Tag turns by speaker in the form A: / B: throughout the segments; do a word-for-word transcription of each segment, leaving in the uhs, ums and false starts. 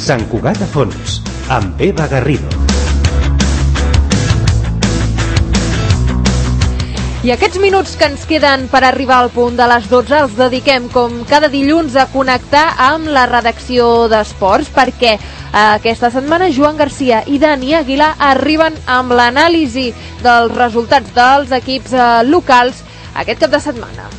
A: Sant Cugat a fons, amb Eva Garrido.
B: I aquests minuts que ens queden per arribar al punt de les dotze els dediquem, com cada dilluns, a connectar amb la redacció d'Esports, perquè eh, aquesta setmana Joan Garcia i Dani Aguilar arriben amb l'anàlisi dels resultats dels equips eh, locals aquest cap de setmana.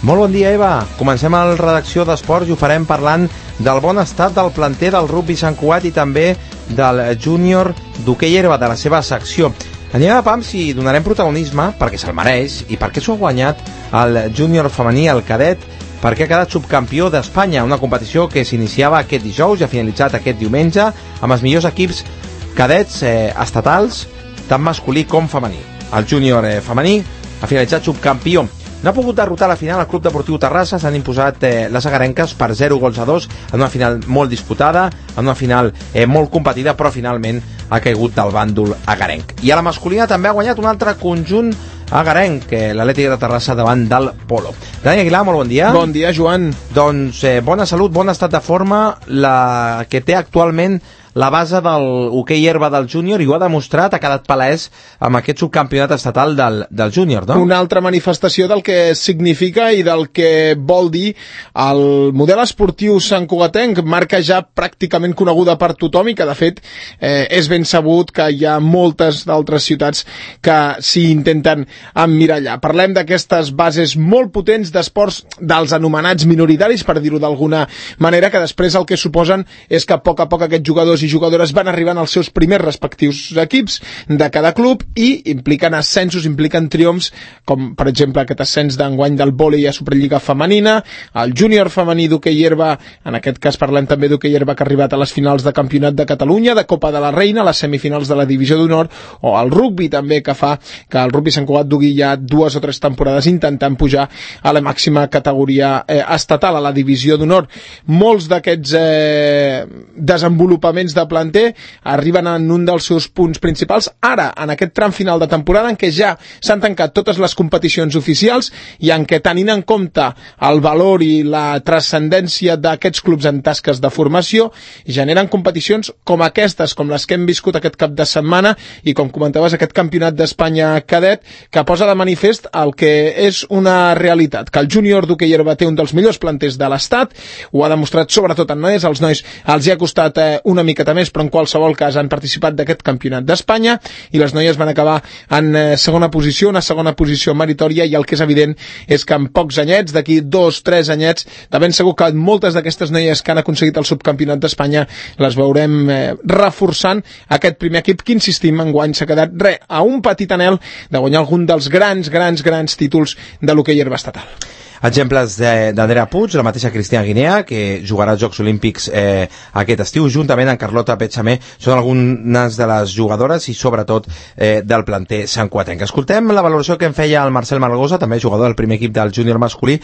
C: Molt bon dia, Eva. Comencem a la redacció d'Esports i ho farem parlant del bon estat del planter del rugbi Sant Cugat i també del júnior d'hoquei herba, de la seva secció. Anem a pams i donarem protagonisme perquè se'l mereix i perquè s'ho ha guanyat el júnior femení, el cadet, perquè ha quedat subcampió d'Espanya, una competició que s'iniciava aquest dijous i ha finalitzat aquest diumenge amb els millors equips cadets eh, estatals, tant masculí com femení. El júnior eh, femení ha finalitzat subcampió. No ha pogut derrotar a la final el Club Deportiu Terrassa, s'han imposat eh, les agarenques per zero gols a dos en una final molt disputada, en una final eh, molt competida, però finalment ha caigut del bàndol agarenc. I a la masculina també ha guanyat un altre conjunt agarenc, eh, l'Atlètic de Terrassa davant del Polo. Dani Aguilar, molt bon dia.
D: Bon dia, Joan.
C: Doncs eh, bona salut, bon estat de forma, la que té actualment la base del hoquei herba del júnior, i ho ha demostrat, ha quedat palès amb aquest subcampionat estatal del, del júnior, no?
D: Una altra manifestació del que significa i del que vol dir el model esportiu santcugatenc, marca ja pràcticament coneguda per tothom i que de fet eh, és ben sabut que hi ha moltes d'altres ciutats que s'hi intenten emmirallar. Parlem d'aquestes bases molt potents d'esports dels anomenats minoritaris, per dir-ho d'alguna manera, que després el que suposen és que a poc a poc aquests jugadors i jugadores van arribant als seus primers respectius equips de cada club i impliquen ascensos, impliquen triomfs, com per exemple aquest ascens d'enguany del vòlei a Superliga femenina, el júnior femení d'hoquei herba, en aquest cas parlem també d'hoquei herba que ha arribat a les finals de Campionat de Catalunya, de Copa de la Reina, les semifinals de la Divisió d'Honor, o el rugbi també, que fa que el rugbi Sant Cugat dugui ja dues o tres temporades intentant pujar a la màxima categoria eh, estatal, a la Divisió d'Honor. Molts d'aquests eh, desenvolupaments de planter arriben en un dels seus punts principals ara, en aquest tram final de temporada en què ja s'han tancat totes les competicions oficials i en què, tenint en compte el valor i la transcendència d'aquests clubs en tasques de formació, generen competicions com aquestes, com les que hem viscut aquest cap de setmana i com comentaves aquest campionat d'Espanya cadet, que posa de manifest el que és una realitat, que el júnior d'hoquei herba té un dels millors planters de l'estat, ho ha demostrat sobretot en noies, als nois els hi ha costat eh, una mica més, però en qualsevol cas han participat d'aquest campionat d'Espanya i les noies van acabar en eh, segona posició, una segona posició meritòria, i el que és evident és que en pocs anyets, d'aquí dos, tres anyets, de ben segur que moltes d'aquestes noies que han aconseguit el subcampionat d'Espanya les veurem eh, reforçant aquest primer equip que, insistim, enguany s'ha quedat re, a un petit anhel de guanyar algun dels grans, grans, grans títols de l'hoquei herba estatal.
C: Exemples d'Andrea Puig, la mateixa Cristina Guinea, que jugarà als Jocs Olímpics eh, aquest estiu, juntament amb Carlota Petxamé, són algunes de les jugadores i sobretot eh, del planter santcugatenc. Escoltem la valoració que en feia el Marcel Margosa, també jugador del primer equip del júnior masculí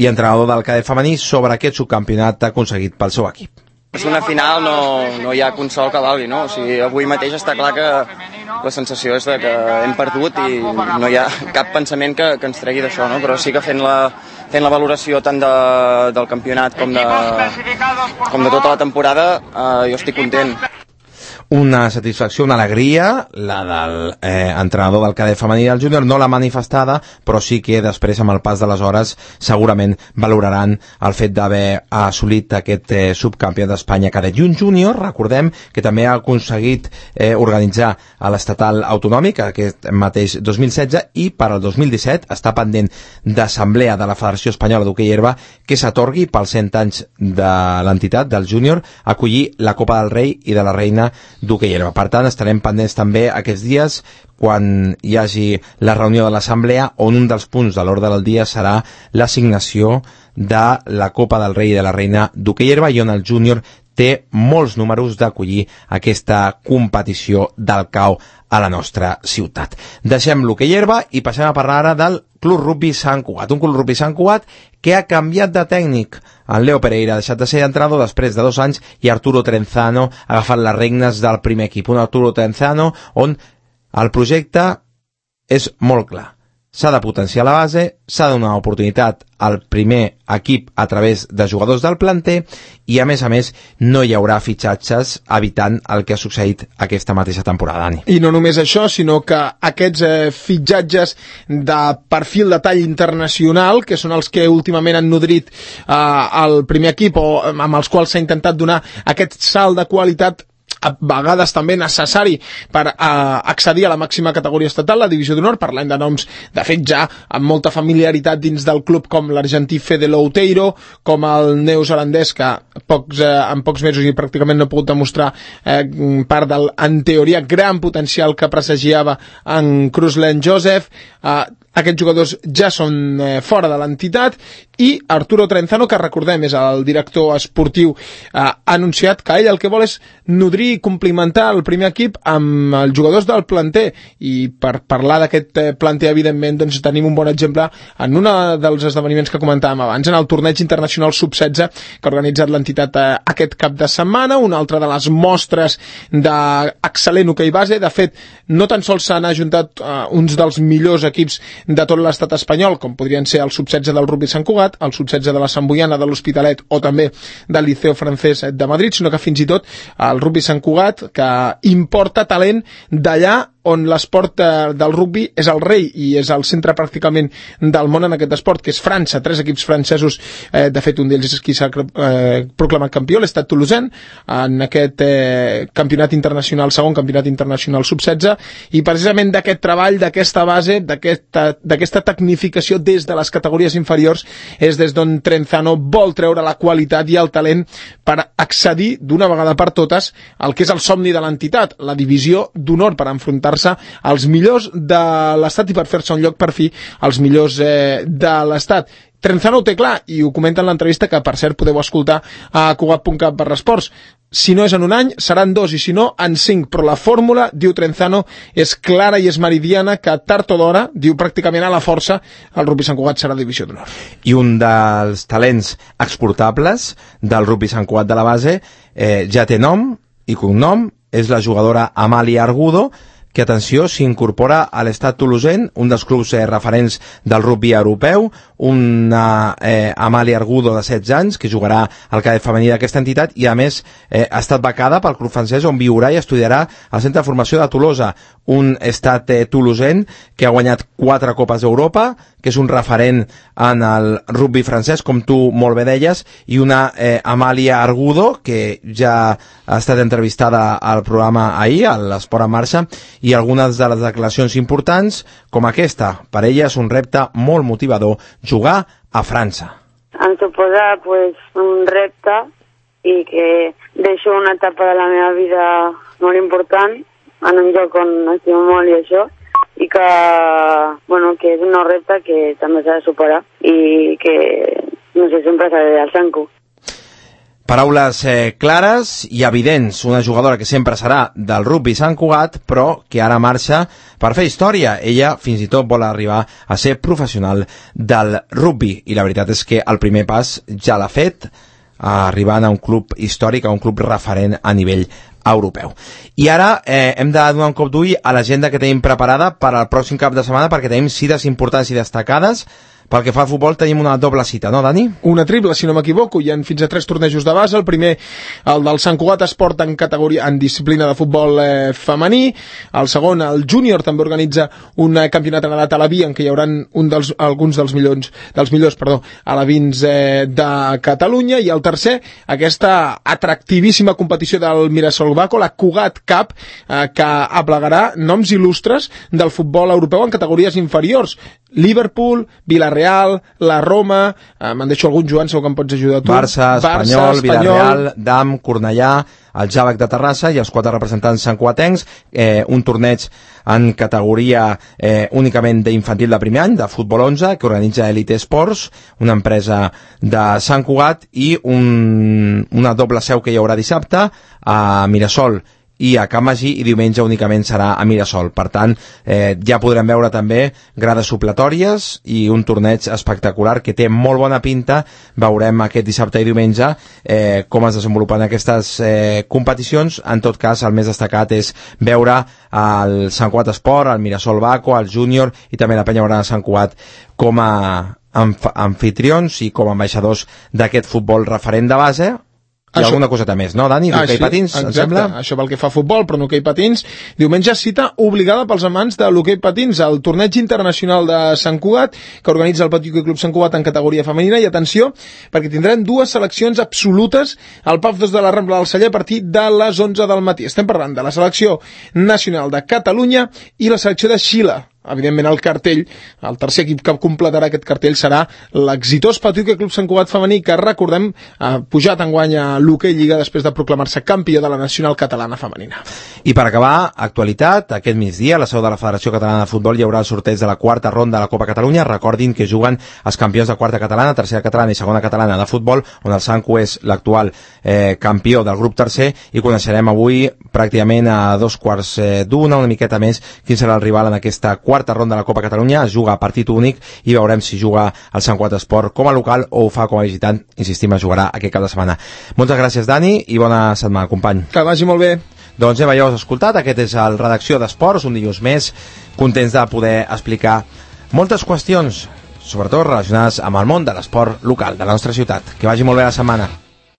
C: i entrenador del cadet femení, sobre aquest subcampionat aconseguit pel seu equip.
E: És una final, no, no hi ha consol que valgui, no? O sigui, avui mateix està clar que la sensació és de que hem perdut i no hi ha cap pensament que, que ens tregui d'això, no? Però sí que fent la, fent la valoració tant de, del campionat com de, com de tota la temporada, eh, jo estic content.
C: Una satisfacció, una alegria, la del eh, entrenador del cadet femení del júnior, no la manifestada, però sí que després, amb el pas de les hores, segurament valoraran el fet d'haver assolit aquest eh, subcampionat d'Espanya cadet. I un júnior, recordem, que també ha aconseguit eh, organitzar a l'estatal autonòmic aquest mateix dos mil setze, i per al dos mil disset està pendent d'assemblea de la Federació Espanyola d'Hoquei Herba que s'atorgui pels cent anys de l'entitat, del júnior, acollir la Copa del Rei i de la Reina d'hoquei herba. Per tant, estarem pendents també aquests dies quan hi hagi la reunió de l'assemblea, on un dels punts de l'ordre del dia serà l'assignació de la Copa del Rei i de la Reina d'hoquei herba, i on el júnior té molts números d'acollir aquesta competició del C A O a la nostra ciutat. Deixem l'hoquei herba i passem a parlar ara del Club Rugbi Sant Cugat. Un Club Rugbi Sant Cugat que ha canviat de tècnic. En Leo Pereira ha deixat de ser entrenador després de dos anys i Arturo Trenzano ha agafat les regnes del primer equip. Un Arturo Trenzano on el projecte és molt clar. s'ha de potenciar la base, s'ha de donar oportunitat al primer equip a través de jugadors del planter i, a més a més, no hi haurà fitxatges evitant el que ha succeït aquesta mateixa temporada, Dani.
D: I no només això, sinó que aquests eh, fitxatges de perfil de tall internacional, que són els que últimament han nodrit eh, el primer equip o amb els quals s'ha intentat donar aquest salt de qualitat a vegades també necessari per uh, accedir a la màxima categoria estatal, la divisió d'honor. Parlem de noms, de fet, ja amb molta familiaritat dins del club, com l'argentí Fede Louteiro, com el neozelandès, que pocs, eh, en pocs mesos i pràcticament no ha pogut demostrar eh, part del, en teoria, gran potencial que presagiava en Cruzlen Joseph. Eh, aquests jugadors ja són eh, fora de l'entitat, i Arturo Trenzano, que recordem és el director esportiu, eh, ha anunciat que ell el que vol és nodrir i complementar el primer equip amb els jugadors del planter. I per parlar d'aquest eh, planter, evidentment, doncs tenim un bon exemple en un dels esdeveniments que comentàvem abans, en el torneig internacional sub setze que ha organitzat l'entitat eh, aquest cap de setmana, una altra de les mostres d'excel·lent hoquei base. De fet, no tan sols s'han ajuntat eh, uns dels millors equips de tot l'estat espanyol, com podrien ser el sub setze del Rugby Sant Cugat, el sub setze de la Sant Boiana, de l'Hospitalet, o també del Liceo Francès de Madrid, sinó que fins i tot el Rugby Sant Cugat, que importa talent d'allà on l'esport del rugby és el rei i és el centre pràcticament del món en aquest esport, que és França. Tres equips francesos, eh, de fet un d'ells és qui s'ha eh, proclamat campió, l'Estat Toulousain, en aquest eh, campionat internacional, segon campionat internacional sub setze, i precisament d'aquest treball, d'aquesta base, d'aquesta tecnificació des de les categories inferiors, és des d'on Trenzano vol treure la qualitat i el talent per accedir d'una vegada per totes al que és el somni de l'entitat, la divisió d'honor, per enfrontar als millors de l'estat i per fer-se un lloc per fi als millors eh, de l'estat. Trenzano ho té clar i ho comenta en l'entrevista, que per cert podeu escoltar a cugat punt cat barra esports. Si no és en un any, seran dos, i si no, en cinc. Però la fórmula, diu Trenzano, és clara i és meridiana, que tard o d'hora, diu pràcticament a la força, el Rugby Sant Cugat serà divisió d'honor.
C: I un dels talents exportables del Rugby Sant Cugat de la base eh, ja té nom i cognom, és la jugadora Amàlia Argudo, que, atenció, s'incorpora a l'Estat Toulousain, un dels clubs eh, referents del rugby europeu, una eh, Amàlia Argudo de setze anys, que jugarà al cadet femení d'aquesta entitat, i a més eh, ha estat becada pel club francès, on viurà i estudiarà al Centre de Formació de Tolosa, un Estat eh, Toulousain que ha guanyat quatre Copes d'Europa, que és un referent en el rugby francès, com tu molt bé deies, i una eh, Amàlia Argudo, que ja ha estat entrevistada al programa ahir, a l'Esport en Marxa, i algunes de les declaracions importants, com aquesta. Per ella és un repte molt motivador jugar a França.
F: Em suposa pues, un repte, i que deixo una etapa de la meva vida molt important en un lloc on estimo molt i això, i que, bueno, que és un nou repte que també s'ha de superar i que, no sé, sempre s'ha de al Sanco.
C: Paraules eh, clares i evidents, una jugadora que sempre serà del Rugby Sant Cugat, però que ara marxa per fer història. Ella fins i tot vol arribar a ser professional del rugby, i la veritat és que el primer pas ja l'ha fet, arribant a un club històric, a un club referent a nivell europeu. I ara eh, hem de donar un cop d'ull a l'agenda que tenim preparada per al pròxim cap de setmana, perquè tenim cites importants i destacades. Pel que fa al futbol tenim una doble cita, no, Dani?
D: Una triple, si no m'equivoco. Hi ha fins a tres tornejos de base. El primer, el del Sant Cugat Esport en categoria, en disciplina de futbol eh, femení. El segon, el júnior, també organitza un eh, campionat en edat alaví, en què hi haurà un dels, alguns dels millors, dels millors perdó, alevins eh, de Catalunya. I el tercer, aquesta atractivíssima competició del Mirasol Baco, la Cugat Cup, eh, que aplegarà noms il·lustres del futbol europeu en categories inferiors. Liverpool, Villarreal, la Roma, eh, me'n deixo algun, Joan, segur que em pots ajudar tu.
C: Barça, Espanyol, Barça, Espanyol, Villarreal, Dam, Cornellà, el Jàvec de Terrassa i els quatre representants santcuatencs, eh, un torneig en categoria eh, únicament d'infantil de primer any, de futbol onze, que organitza Elite Sports, una empresa de Sant Cugat, i un, una doble seu que hi haurà dissabte a Mirasol i a Can Magí, i diumenge únicament serà a Mirasol. Per tant, eh, ja podrem veure també grades supletòries i un torneig espectacular que té molt bona pinta. Veurem aquest dissabte i diumenge eh, com es desenvolupen aquestes eh, competicions. En tot cas, el més destacat és veure el Sant Cugat Esport, el Mirasol Baco, el Júnior i també la Penya Blaugrana Sant Cugat com a anfitrions i com a ambaixadors d'aquest futbol referent de base. I això, alguna coseta més, no, Dani? D'hoquei ah, patins, exacte, em sembla?
D: Això pel que fa a futbol, però en hoquei patins. Diumenge cita obligada pels amants de l'hoquei patins, el torneig internacional de Sant Cugat, que organitza el Petit Club Sant Cugat en categoria femenina, i atenció, perquè tindran dues seleccions absolutes al P A F dos de la Rambla del Celler a partir de les onze del matí. Estem parlant de la selecció nacional de Catalunya i la selecció de Xile. Evidentment el cartell, el tercer equip que completarà aquest cartell serà l'exitós Petit Club Sant Cugat femení, que recordem ha pujat enguany a l'hoquei Lliga després de proclamar-se campió de la nacional catalana femenina.
C: I per acabar, actualitat, aquest migdia a la seu de la Federació Catalana de Futbol hi haurà el sorteig de la quarta ronda de la Copa Catalunya. Recordin que juguen els campions de quarta catalana, tercera catalana i segona catalana de futbol, on el Sanco és l'actual eh, campió del grup tercer, i coneixerem avui pràcticament a dos quarts eh, d'una, una miqueta més, quin serà el rival en aquesta quarta ronda de la Copa Catalunya. Es juga a partit únic i veurem si juga el Sant Cugat Esport com a local o ho fa com a visitant. Insistim, es jugarà aquest cap de setmana. Moltes gràcies, Dani, i bona setmana, company.
D: Que vagi molt bé.
C: Doncs ja veieu, escoltat, aquest és el Redacció d'Esports, un dilluns més, contents de poder explicar moltes qüestions, sobretot relacionades amb el món de l'esport local de la nostra ciutat. Que vagi molt bé la setmana.